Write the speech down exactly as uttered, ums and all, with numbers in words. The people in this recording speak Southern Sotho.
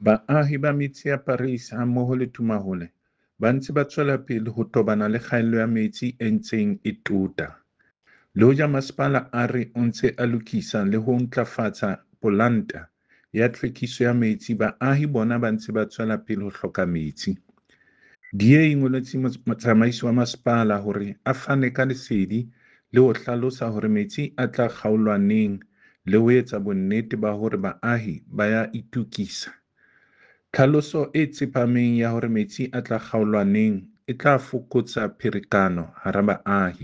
Baahi ba metse ya Parys hammoho le Tumahole ba ntse ba tswela pele ho tobana le kgaello ya metsi e ntseng e tota. Le hoja masepala a re o ntse a lokisa le ho ntlafatsa polanta ya tlhwekiso ya metsi baahi bona ba ntse ba tswela pele ho hloka metsi. D A e ngoletse motsamaisi wa masepala hore a fane ka lesedi le ho hlalosa hore metsi a tla kgaolwa neng le ho etsa bonnete ba hore baahi ba ya itokisa. Tlhaloso e tsepameng ya hore metsi a tla kgaolwa neng e tla fokotsa pherekano hara baahi.